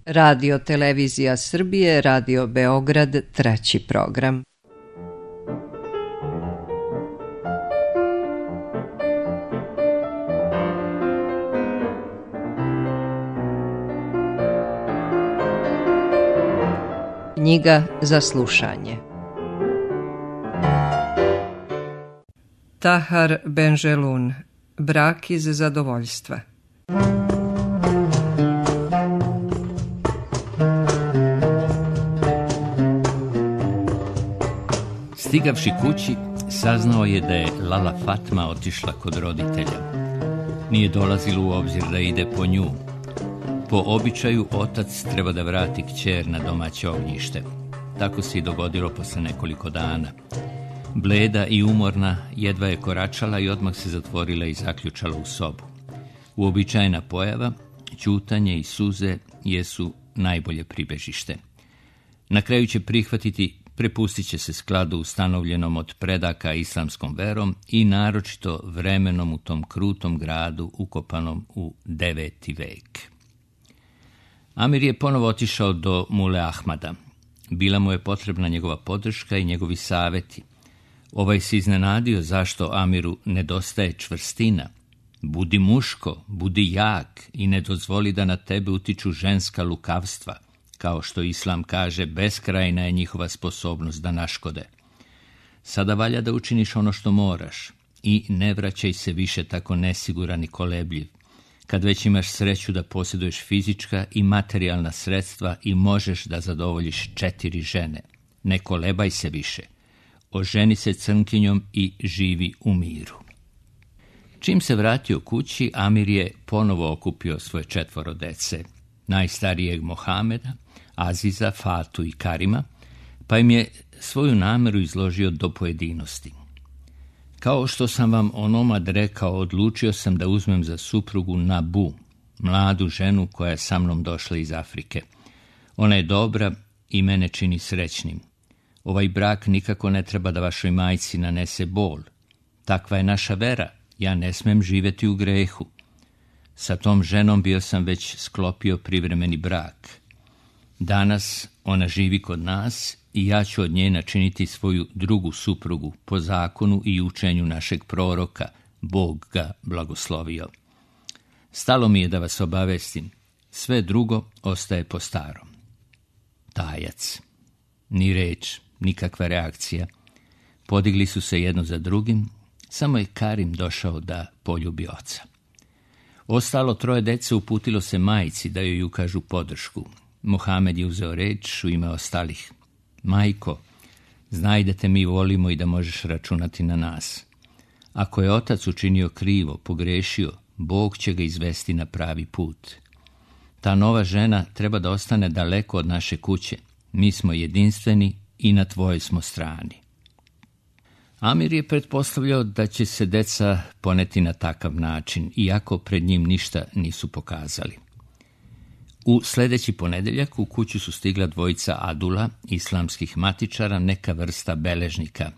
Radio Televizija Srbije, Radio Beograd, 3. program. Knjiga za slušanje. Tahar Benjelun, Brak iz zadovoljstva. Stigavši kući, saznao je da je Lala Fatma otišla kod roditelja. Nije dolazilo u obzir da ide po nju. Po običaju, otac treba da vrati kćer na domaće ognjište. Tako se i dogodilo posle nekoliko dana. Bleda i umorna, jedva je koračala i odmah se zatvorila i zaključala u sobu. Uobičajena pojava, ćutanje i suze jesu najbolje pribežište. Na kraju će prihvatiti, prepustit će se skladu ustanovljenom od predaka islamskom verom i naročito vremenom u tom krutom gradu ukopanom u 9. vek. Amir je ponovo otišao do Mule Ahmada. Bila mu je potrebna njegova podrška i njegovi saveti. Ovaj se iznenadio zašto Amiru nedostaje čvrstina. Budi muško, budi jak i ne dozvoli da na tebe utiču ženska lukavstva. Kao što Islam kaže, beskrajna je njihova sposobnost da naškode. Sada valja da učiniš ono što moraš i ne vraćaj se više tako nesiguran i kolebljiv. Kad već imaš sreću da posjeduješ fizička i materijalna sredstva i možeš da zadovoljiš 4 žene. Ne kolebaj se više. Oženi se crnkinjom i živi u miru. Čim se vratio kući, Amir je ponovo okupio svoje 4 dece. Najstarijeg Mohameda, Aziza, Fatu i Karima, pa im je svoju nameru izložio do pojedinosti. Kao što sam vam onomad rekao, odlučio sam da uzmem za suprugu Nabu, mladu ženu koja je sa mnom došla iz Afrike. Ona je dobra i mene čini srećnim. Ovaj brak nikako ne treba da vašoj majci nanese bol. Takva je naša vera, ja ne smem živjeti u grehu. Sa tom ženom bio sam već sklopio privremeni brak. Danas ona živi kod nas i ja ću od nje načiniti svoju drugu suprugu po zakonu i učenju našeg proroka, Bog ga blagoslovio. Stalo mi je da vas obavestim, sve drugo ostaje po starom. Tajac. Ni reč, nikakva reakcija. Podigli su se jedno za drugim, samo je Karim došao da poljubi oca. Ostalo 3 dece uputilo se majci da joj ukažu podršku. Mohamed je uzeo reč u ime ostalih. Majko, znaj da te mi volimo i da možeš računati na nas. Ako je otac učinio krivo, pogrešio, Bog će ga izvesti na pravi put. Ta nova žena treba da ostane daleko od naše kuće. Mi smo jedinstveni i na tvojoj smo strani. Amir je pretpostavljao da će se deca poneti na takav način, iako pred njim ništa nisu pokazali. U sljedeći ponedeljak u kuću su stigla 2 adula, islamskih matičara, neka vrsta beležnika.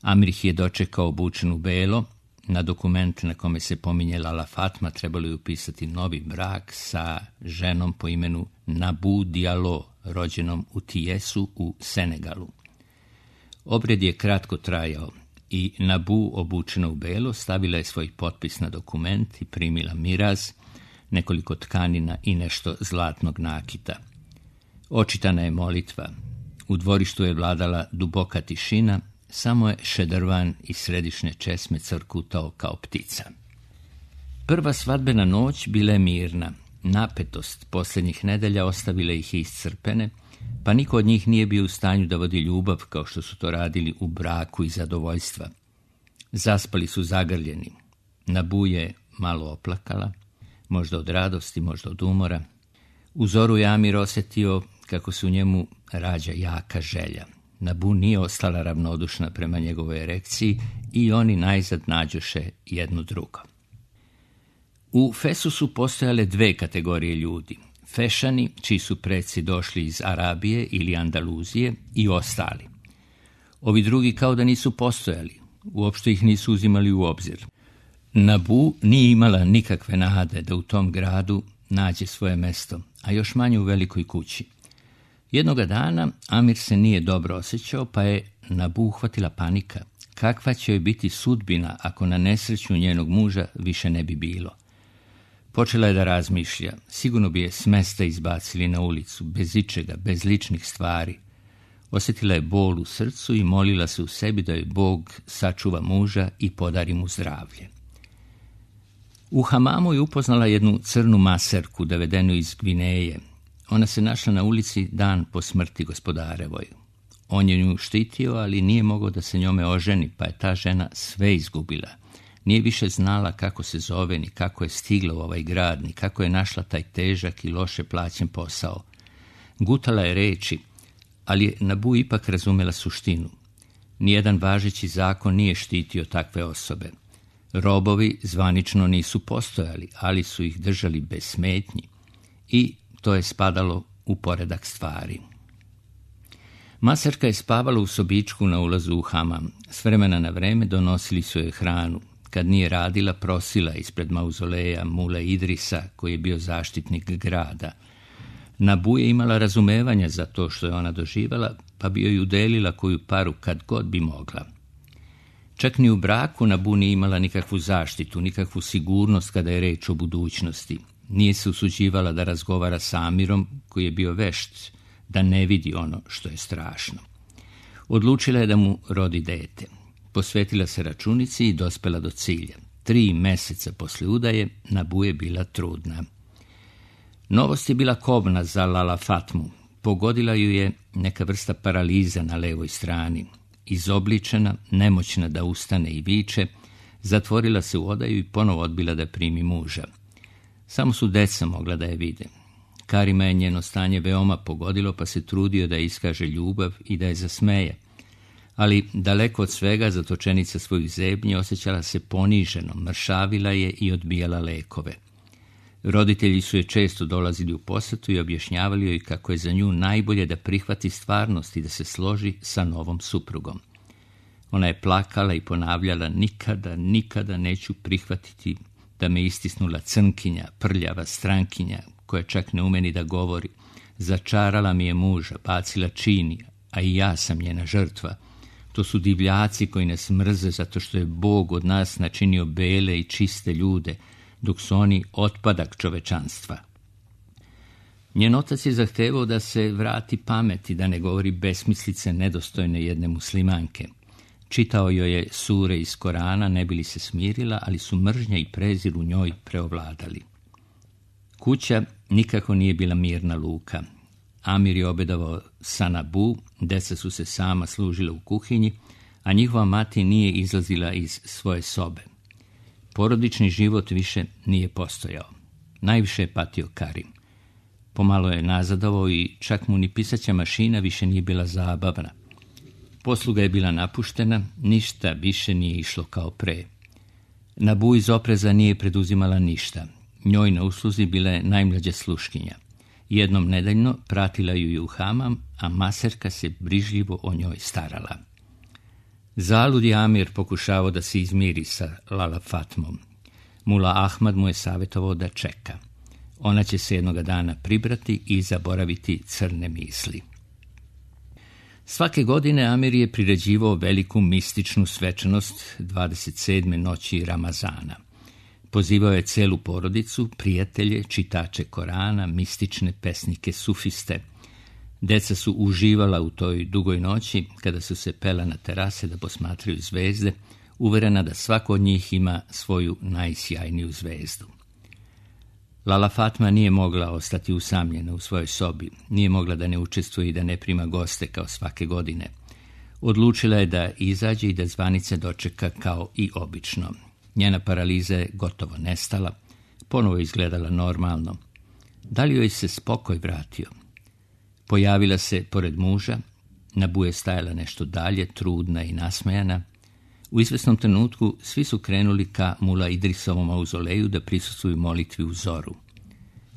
Amir ih je dočekao obučen u belo. Na dokument na kome se pominje Lala Fatma trebalo je upisati novi brak sa ženom po imenu Nabu Diallo, rođenom u Tijesu u Senegalu. Obred je kratko trajao i Nabu, obučena u belo, stavila je svoj potpis na dokument i primila miraz, nekoliko tkanina i nešto zlatnog nakita. Očitana je molitva. U dvorištu je vladala duboka tišina, samo je šedrvan iz središnje česme crkutao kao ptica. Prva svadbena noć bila je mirna. Napetost posljednjih nedelja ostavila ih je iscrpene, pa niko od njih nije bio u stanju da vodi ljubav kao što su to radili u braku i zadovoljstva. Zaspali su zagrljeni. Nabu je malo oplakala, možda od radosti, možda od umora. U zoru je Amir osjetio kako se u njemu rađa jaka želja. Nabu nije ostala ravnodušna prema njegovoj erekciji i oni najzad nađoše jedno drugo. U Fesu su postojale 2 kategorije ljudi. Fešani, čiji su preci došli iz Arabije ili Andaluzije, i ostali. Ovi drugi kao da nisu postojali, uopšte ih nisu uzimali u obzir. Nabu nije imala nikakve nade da u tom gradu nađe svoje mesto, a još manje u velikoj kući. Jednoga dana Amir se nije dobro osjećao, pa je Nabu uhvatila panika. Kakva će joj biti sudbina ako na nesreću njenog muža više ne bi bilo? Počela je da razmišlja. Sigurno bi je s mesta izbacili na ulicu, bez ičega, bez ličnih stvari. Osjetila je bol u srcu i molila se u sebi da joj Bog sačuva muža i podari mu zdravlje. U hamamu je upoznala jednu crnu maserku, dovedenu iz Gvineje. Ona se našla na ulici dan po smrti gospodarevoj. On je nju štitio, ali nije mogao da se njome oženi, pa je ta žena sve izgubila. Nije više znala kako se zove, ni kako je stigla u ovaj grad, ni kako je našla taj težak i loše plaćen posao. Gutala je reči, ali je Nabu ipak razumela suštinu. Nijedan važeći zakon nije štitio takve osobe. Robovi zvanično nisu postojali, ali su ih držali bez smetnji i to je spadalo u poredak stvari. Maserka je spavala u sobičku na ulazu u hamam. S vremena na vreme donosili su joj hranu. Kad nije radila, prosila ispred mauzoleja Mule Idrisa, koji je bio zaštitnik grada. Nabu je imala razumevanja za to što je ona doživala, pa bi joj udelila koju paru kad god bi mogla. Čak ni u braku Nabu nije imala nikakvu zaštitu, nikakvu sigurnost kada je reč o budućnosti. Nije se usuđivala da razgovara s Amirom, koji je bio vešt, da ne vidi ono što je strašno. Odlučila je da mu rodi dete. Posvetila se računici i dospela do cilja. 3 meseca posle udaje Nabu je bila trudna. Novost je bila kobna za Lala Fatmu. Pogodila ju je neka vrsta paraliza na levoj strani. Izobličena, nemoćna da ustane i viče, zatvorila se u odaju i ponovo odbila da primi muža. Samo su deca mogla da je vide. Karima je njeno stanje veoma pogodilo, pa se trudio da iskaže ljubav i da je zasmeje. Ali daleko od svega zatočenica svojih zebnji osjećala se poniženo, mršavila je i odbijala lekove. Roditelji su je često dolazili u posetu i objašnjavali joj kako je za nju najbolje da prihvati stvarnost i da se složi sa novom suprugom. Ona je plakala i ponavljala: nikada, nikada neću prihvatiti da me istisnula crnkinja, prljava strankinja, koja čak ne umeni da govori. Začarala mi je muža, bacila čini, a i ja sam njena žrtva. To su divljaci koji nas mrze zato što je Bog od nas načinio bele i čiste ljude, dok su oni otpadak čovečanstva. Njen otac je zahtevao da se vrati pameti, da ne govori besmislice nedostojne jedne muslimanke. Čitao joj je sure iz Korana, ne bi li se smirila, ali su mržnja i prezir u njoj preovladali. Kuća nikako nije bila mirna luka. Amir je obedavao sa Nabu, deca su se sama služila u kuhinji, a njihova mati nije izlazila iz svoje sobe. Porodični život više nije postojao. Najviše je patio Karim. Pomalo je nazadovao i čak mu ni pisaća mašina više nije bila zabavna. Posluga je bila napuštena, ništa više nije išlo kao pre. Nabu iz opreza nije preduzimala ništa. Njoj na usluzi bila je najmlađa sluškinja. Jednom nedeljno pratila ju je u hamam, a maserka se brižljivo o njoj starala. Zalud je Amir pokušavao da se izmiri sa Lala Fatmom. Mula Ahmad mu je savjetovao da čeka. Ona će se jednoga dana pribrati i zaboraviti crne misli. Svake godine Amir je priređivao veliku mističnu svečanost 27. noći Ramazana. Pozivao je celu porodicu, prijatelje, čitače Korana, mistične pesnike, sufiste. Deca su uživala u toj dugoj noći, kada su se pela na terase da posmatraju zvezde, uverena da svako od njih ima svoju najsjajniju zvezdu. Lala Fatma nije mogla ostati usamljena u svojoj sobi, nije mogla da ne učestvuje i da ne prima goste kao svake godine. Odlučila je da izađe i da zvanice dočeka kao i obično. Njena paraliza je gotovo nestala, ponovo je izgledala normalno. Da li joj se spokoj vratio? Pojavila se pored muža, Nabu je stajala nešto dalje, trudna i nasmejana. U izvesnom trenutku svi su krenuli ka Mula Idrisovom mauzoleju da prisustvuju molitvi u zoru.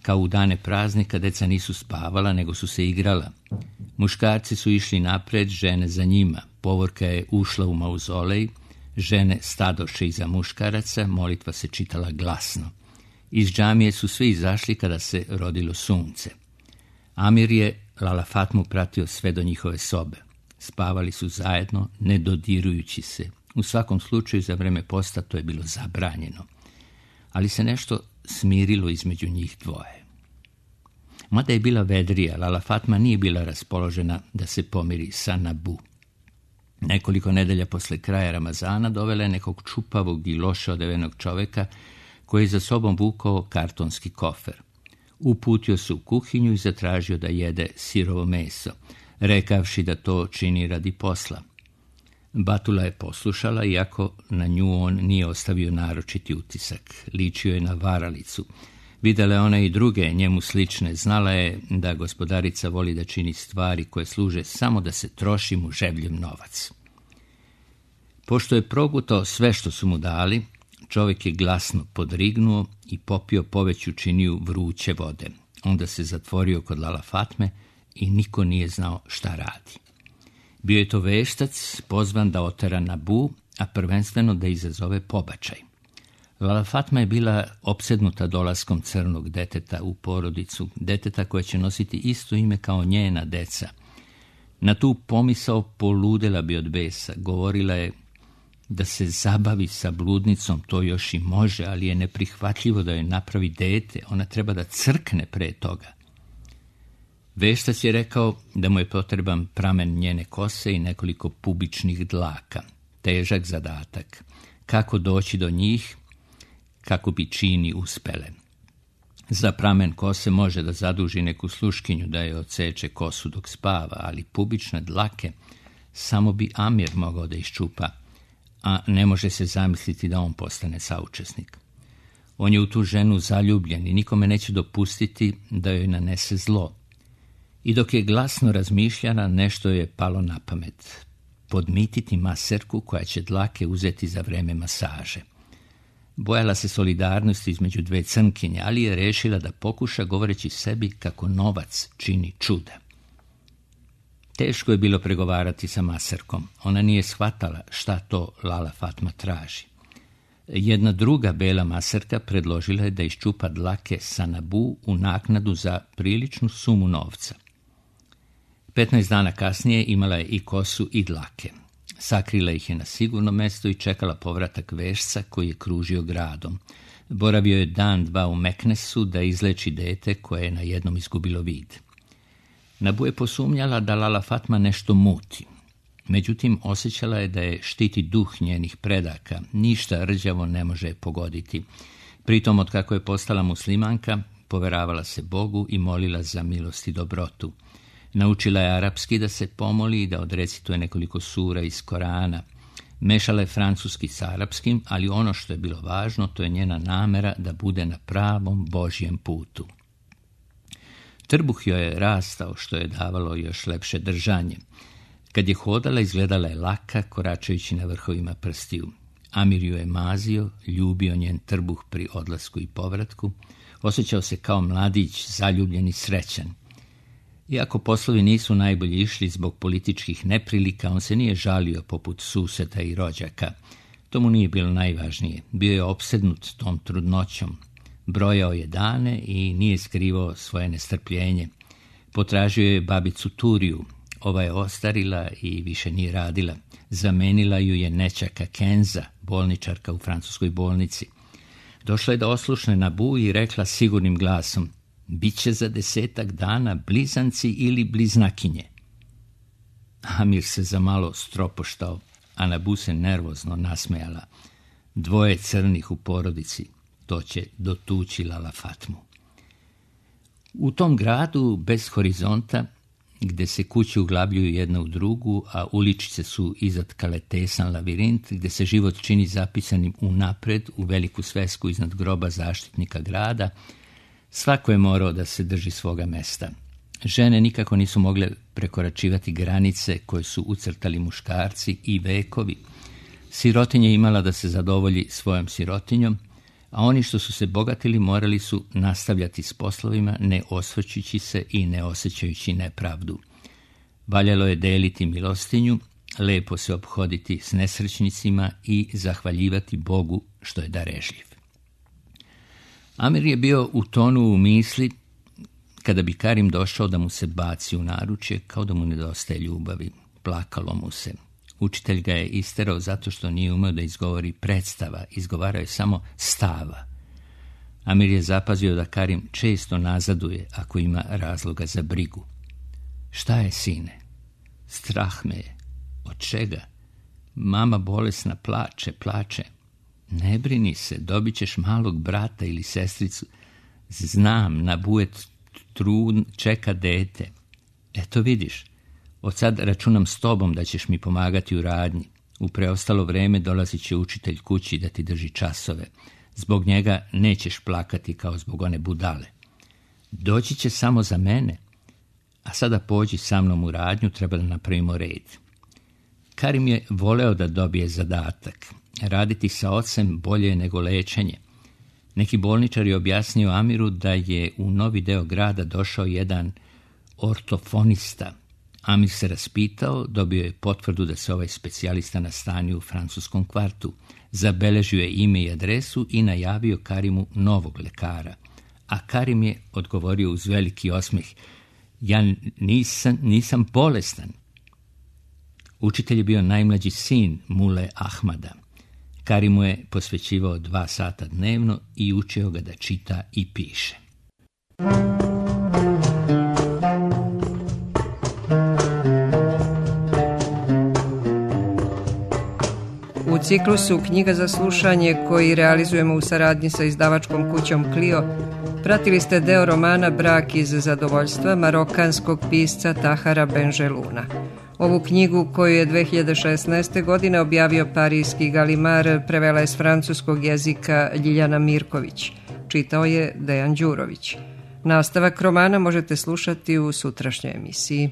Kao u dane praznika, deca nisu spavala, nego su se igrala. Muškarci su išli napred, žene za njima. Povorka je ušla u mauzolej, žene stadoše iza muškaraca, molitva se čitala glasno. Iz džamije su svi izašli kada se rodilo sunce. Amir je Lala Fatmu pratio sve do njihove sobe. Spavali su zajedno, ne dodirujući se. U svakom slučaju za vreme posta to je bilo zabranjeno. Ali se nešto smirilo između njih dvoje. Mada je bila vedrija, Lala Fatma nije bila raspoložena da se pomiri sa Nabu. Nekoliko nedelja posle kraja Ramazana dovela je nekog čupavog i loše odevenog čoveka koji je za sobom vukao kartonski kofer. Uputio se u kuhinju i zatražio da jede sirovo meso, rekavši da to čini radi posla. Batula je poslušala, iako na nju on nije ostavio naročiti utisak. Ličio je na varalicu. Videla je ona i druge njemu slične. Znala je da gospodarica voli da čini stvari koje služe samo da se troši mu ževljiv novac. Pošto je progutao sve što su mu dali, čovjek je glasno podrignuo i popio poveću činiju vruće vode. Onda se zatvorio kod Lala Fatme i niko nije znao šta radi. Bio je to veštac pozvan da otera Nabu, a prvenstveno da izazove pobačaj. Lala Fatma je bila opsednuta dolaskom crnog deteta u porodicu, deteta koje će nositi isto ime kao njena deca. Na tu pomisao poludela bi od besa. Govorila je da se zabavi sa bludnicom, to još i može, ali je neprihvatljivo da joj napravi dete, ona treba da crkne pre toga. Veštac je rekao da mu je potreban pramen njene kose i nekoliko pubičnih dlaka. Težak zadatak. Kako doći do njih, kako bi čini uspele. Za pramen kose može da zaduži neku sluškinju da je odseče kosu dok spava, ali pubične dlake samo bi Amir mogao da iščupa, a ne može se zamisliti da on postane saučesnik. On je u tu ženu zaljubljen i nikome neće dopustiti da joj nanese zlo. I dok je glasno razmišljala, nešto je palo na pamet. Podmititi maserku koja će dlake uzeti za vreme masaže. Bojala se solidarnosti između dve crnkinje, ali je rešila da pokuša govoreći sebi kako novac čini čuda. Teško je bilo pregovarati sa maserkom. Ona nije shvatala šta to Lala Fatma traži. Jedna druga bela maserka predložila je da iščupa dlake sa Nabu u naknadu za priličnu sumu novca. 15 dana kasnije imala je i kosu i dlake. Sakrila ih je na sigurno mesto i čekala povratak vešca koji je kružio gradom. Boravio je dan, dva u Meknesu da izleči dete koje je na jednom izgubilo vid. Nabu je posumnjala da Lala Fatma nešto muti. Međutim, osjećala je da je štiti duh njenih predaka. Ništa rđavo ne može je pogoditi. Pritom, od kako je postala muslimanka, poveravala se Bogu i molila za milost i dobrotu. Naučila je arapski da se pomoli i da odrecituje nekoliko sura iz Korana. Mešala je francuski s arapskim, ali ono što je bilo važno, to je njena namera da bude na pravom Božjem putu. Trbuh joj je rastao, što je davalo još lepše držanje. Kad je hodala, izgledala je laka, koračajući na vrhovima prstiju. Amir ju je mazio, ljubio njen trbuh pri odlasku i povratku. Osjećao se kao mladić, zaljubljen i srećan. Iako poslovi nisu najbolje išli zbog političkih neprilika, on se nije žalio poput suseda i rođaka. To mu nije bilo najvažnije. Bio je opsednut tom trudnoćom. Brojao je dane i nije skrivao svoje nestrpljenje. Potražio je babicu Turiju. Ova je ostarila i više nije radila. Zamenila ju je nećaka Kenza, bolničarka u francuskoj bolnici. Došla je da oslušne Nabu i rekla sigurnim glasom: "Biće za 10 dana blizanci ili bliznakinje." Amir se za malo stropoštao, a Nabu se nervozno nasmejala. 2 crnih u porodici, to će dotući Lala Fatmu. U tom gradu bez horizonta, gde se kuće uglabljuju jedna u drugu, a uličice su izatkale tesan lavirint, gde se život čini zapisanim unapred u veliku svesku iznad groba zaštitnika grada, svako je morao da se drži svoga mesta. Žene nikako nisu mogle prekoračivati granice koje su ucrtali muškarci i vekovi. Sirotinja je imala da se zadovolji svojom sirotinjom, a oni što su se bogatili morali su nastavljati s poslovima, ne osvrćući se i ne osjećajući nepravdu. Valjalo je deliti milostinju, lepo se ophoditi s nesrećnicima i zahvaljivati Bogu što je darežljiv. Amir je bio utonuo u misli kada bi Karim došao da mu se baci u naručje, kao da mu nedostaje ljubavi. Plakalo mu se. Učitelj ga je isterao zato što nije umeo da izgovori predstava, izgovarao je samo stava. Amir je zapazio da Karim često nazaduje ako ima razloga za brigu. Šta je, sine? Strah me je. Od čega? Mama bolesna plače. Ne brini se, dobit ćeš malog brata ili sestricu. Znam, na bujet trun čeka dete. Eto vidiš, od sad računam s tobom da ćeš mi pomagati u radnji. U preostalo vreme dolazit će učitelj kući da ti drži časove. Zbog njega nećeš plakati kao zbog one budale. Doći će samo za mene. A sada pođi sa mnom u radnju, treba da napravimo red. Karim je voleo da dobije zadatak. Raditi sa ocem bolje je nego lečenje. Neki bolničar je objasnio Amiru da je u novi deo grada došao jedan ortofonista. Amir se raspitao, dobio je potvrdu da se ovaj specijalista nastanio u francuskom kvartu. Zabeležio je ime i adresu i najavio Karimu novog lekara. A Karim je odgovorio uz veliki osmeh: ja nisam bolestan. Učitelj je bio najmlađi sin Mule Ahmada. Karim mu je posvećivao 2 sata dnevno i učio ga da čita i piše. U ciklusu Knjiga za slušanje, koji realizujemo u saradnji sa izdavačkom kućom Clio, pratili ste deo romana Brak iz zadovoljstva marokanskog pisca Tahara Benjeluna. Ovu knjigu, koju je 2016. godine objavio parijski Galimar, prevela je s francuskog jezika Ljiljana Mirković. Čitao je Dejan Đurović. Nastavak romana možete slušati u sutrašnjoj emisiji.